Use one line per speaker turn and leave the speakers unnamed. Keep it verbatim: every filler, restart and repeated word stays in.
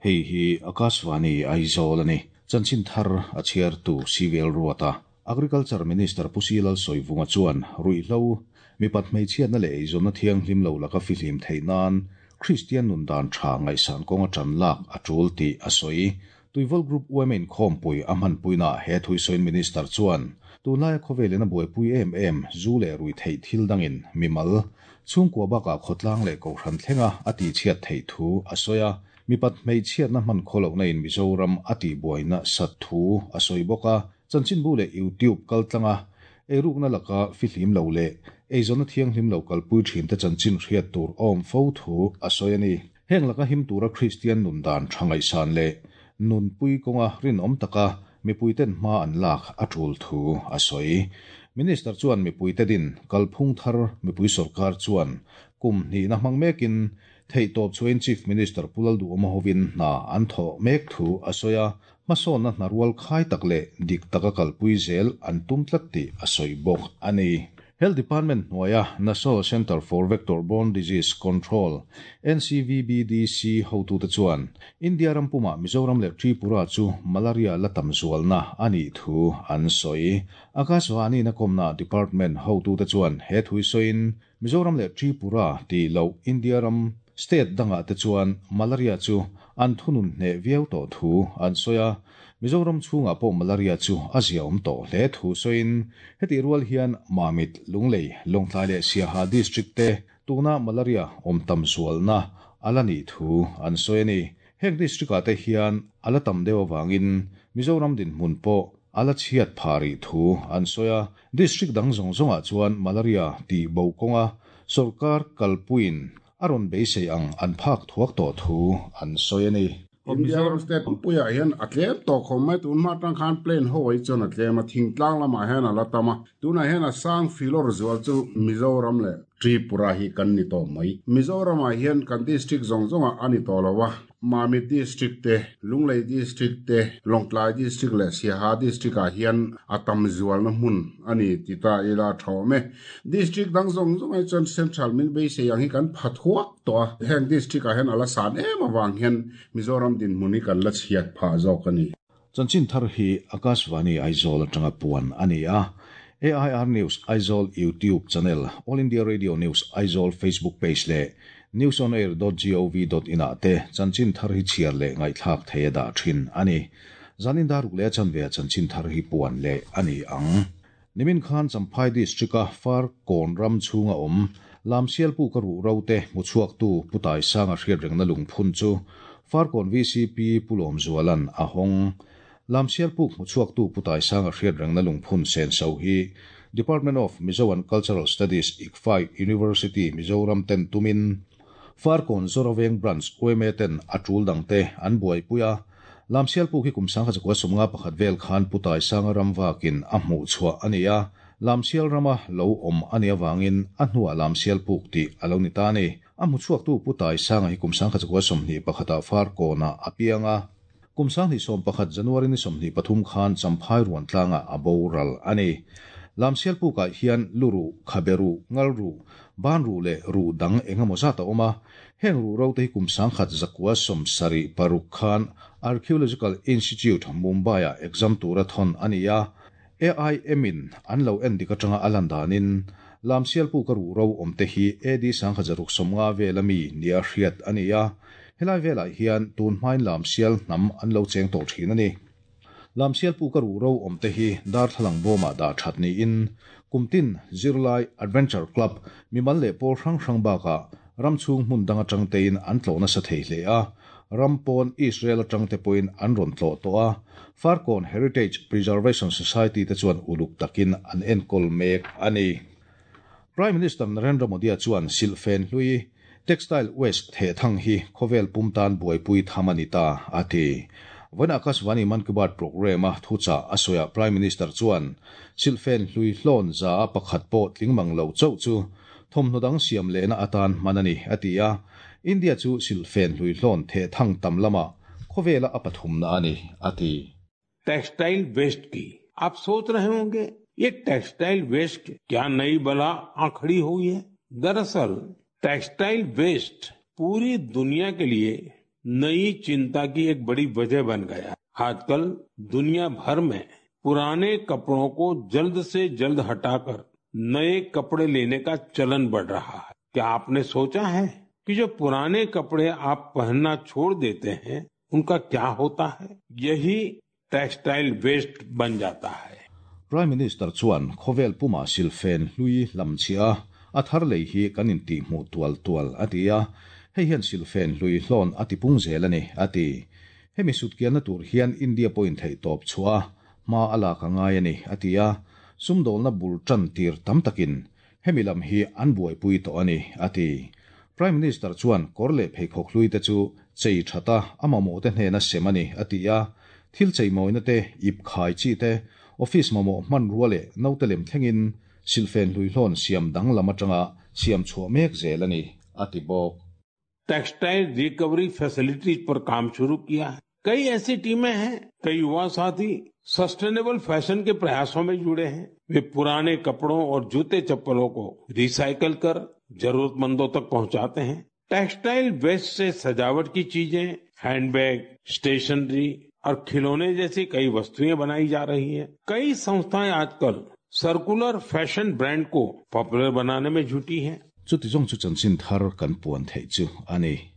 Hei hi Akashvani Aizawl ani. Chanchin thar a chhiar tu Civil Ruata. Agriculture Minister Pu C Lalsawivunga chuan ruihhlo mipat hmeichhiatna leh eizawnna thianghlim lo laka fihlim theih nan Kristian nun dan tha ngaihsan kawnga tan lak a tul tih a sawi. Tuivawl Group U M in khawmpui a hmanpuina he thuisawiin Minister chuan tunlaia khawvelin a buaipui em em zu leh rui theih thil dangin mimal chhungkua bakah khawtlang leh kohhran thlenga a tihchhiat theih thu a sawi a. Mipat hmeichhiatna hman khawlohna in Mizoram a tihbuaina sat thu a sawi bawk a. Chanchinbu leh YouTube kaltlanga eirukna laka fihlim lo leh eizawnna thianghlim lo kalpui thin te chanchin hriat tur awm fo thu a sawi a ni. Heng laka him tura Kristian nun dan tha ngaihsan leh nunpui kawnga rinawm taka mipuiten hma an lak a tul thu a sawi. Minister chuan mipuite din kalphung thar mipui sorkar chuan kum hnihna hmang mekin theihtawp chuain Chief Minister Pu Lalduhoma hovin hna an thawh mek thu a sawi a. Hmasawnna hna rual khai tak leh dik taka kalpui zel an tum tlat tih a sawi bawk a ni. Health Department hnuaia National Centre for Vector Borne Disease Control N C V B D C hotute chuan India ram puma Mizoram leh Tripura chu malaria la tam zualna ani thu an sawi. Akashvani na komna department hotute chuan he thui sawiin Mizoram leh Tripura ti lo India ram state danga te chuan malaria chu an thunun hne viau to thu an sawi a. Mizoram chhunga pawh malaria chu a ziaawm tawh hle thu sawiin heti rual hian Mamit, Lunglei, Lawngtlai leh Siaha district te tuna malaria awm tam zualna ala ni thu an sawi a ni. Heng district ah te hian ala tam deuh awangin Mizoram dinhmun pawh ala chhiat phari thu an sawi a. District dang zawng zawngah chuan malaria ti bo kawnga sorkar kalpuiin a rawn beisei ang an phak thuak tawh thu an sawi a ni.
India ram state puiah hian a tlem tawh khawm mai. Tun hma tang khan plain ho ai chuan a tlem a, thingtlang lamah hian a la tam a. Tunah hian a sang filawr zual chu Mizoram leh Tripura hi kan ni tawh mai. Mizoramah hian kan district zawng zawngah ani tawh lo a. Mamit district te, Lunglei district te, Lawngtlai district leh Siaha district ah hian a tam zualna hmun ani ti ta ila thawm e. District dang zawng zawng ai chuan central min beisei ang hi kan pha thuak tawh a. Heng district ah hian ala san em awang hian Mizoram dinhmun hi kan la chhiat phah zawk ani.
Chanchin thar hi Akashvani Aizawl atanga puan ani a. A I R News Aizawl YouTube channel, All India Radio News Aizawl Facebook page leh newsonair dot gov dot in ah te chanchin thar hi chhiar leh ngaihthlak thei da thin ani. Zanin daruk le chanve chanchin thar hi puan leh ani ang. Nimin khan Champhai district a Farkawn ram chhunga awm Lamsial pu ka ru rote muchuak tu putai sanga hriat rengna lungphun chu Farkawn V C P Pulom Zualan a hong. Lamsial puk muchuak tu putai sanga hriat rengna lungphun sen so hi Department of Mizo and Cultural Studies, I C F A I University Mizoram ten tumin Farkawn Zoraveng Branch U M A ten atul dangte an buai puya. Lamsial puk hi kum sangkha zakua sawmnga pakhat vel khan putai sanga ram wakin a hmu chhuah ani a. Lamsial rama lo awm ani awangin a hnuah Lamsial puk ti alo ni ta ni. A hmu chhuak tu putai sanga hi kum sangkha zakua sawmhnih pakhata Farkawna a pianga. Kum sanghnih sawm pakhat January ni sawmhnih pathum khan Champhai ruan tlanga a boral ani. Lamsial pukah hian luru, khaberu, ngalru, banru leh ru dang engemaw zat a awm a. Heng ru ro te hi kum sangkhat zakua sawm sarih paruk khan Archaeological Institute, Mumbai a exam tura thon ani a. A I M in an lo en dik atanga a lan danin Lamsial puk a ru ro awm te hi A D sangkhat zaruk sawmnga vel ami nia hriat ani a. Helai velah hian tun hmain Lamsial hnam an lo cheng tawh thin ani. Lamsial puk a ru ro awm te hi darthlalang bawmah dah that niin kumtin zirlai, adventure club, mimal leh pawl hrang hrang bakah ram chhung hmun dang atang tein an tlawh nasa thei hle a. Ram pawn Israel atang te pawhin an rawn tlawh tawh a. Farkawn Heritage Preservation Society te chuan uluk takin an enkawl mek ani. Prime Minister Narendra Modi chuan silfen hlui, textile waste the thang hi khawvel pum tan buaipui tham ani ta ati. Vawiin Akashvani Man Ki Baat program a thucha asoya Prime Minister chuan silfen hlui hlawn za a pakhat pawh tlingmang lo chauh chu thawmhnaw dang siam lehna atan hman ani ati a. India chu silfen hlui hlawn the thang tam lama khawvela a pathumna ani ati.
Textile waste की आप सोच रहे होंगे, ये textile waste क्या नई बला आ खड़ी हुई है? दरअसल टेक्सटाइल वेस्ट पूरी दुनिया के लिए नई चिंता की एक बड़ी वजह बन गया है। आजकल दुनिया भर में पुराने कपड़ों को जल्द से जल्द हटाकर नए कपड़े लेने का चलन बढ़ रहा है। क्या आपने सोचा है कि जो पुराने कपड़े आप पहनना छोड़ देते हैं उनका क्या होता है? यही टेक्सटाइल वेस्ट बन जाता है।
Prime Minister chuan khawvel puma silfen hlui lam chia a thar lei hi kan in ti hmu tual tual atia hei hian silfen hlui hlawn ati pung zel ani ati hemi sutkian na tur hian India point thei top chua ma ala ka ngai ani atia sumdol na bul tran tir tam takin hemi lam hi an buai pui to ani ati Prime Minister chuan korle phei khok hlui te chu chei thata amamo te hne na semani atia thil chei moi na te ip khai chi te office mamo man ruale nautelem thlengin silfen hlui hlawn siam dang lama tanga siam chhuah mek zel ani ati bawk.
Textile recovery facilities पर काम शुरू किया है। कई ऐसी टीमें हैं, कई युवा साथी सस्टेनेबल फैशन के प्रयासों में जुड़े हैं। वे पुराने कपड़ों और जूते चप्पलों को रिसाइकल कर जरूरतमंदों तक पहुंचाते हैं। टेक्सटाइल वेस्ट से सजावट की चीजें, हैंडबैग, स्टेशनरी और खिलौने जैसी कई वस्तुएं बनाई जा रही हैं। कई संस्थाएं आजकल circular fashion brand को पॉपुलर बनाने में जुटी हैं।
Chuti zong chu chanchin thar kan puan thei chu ani.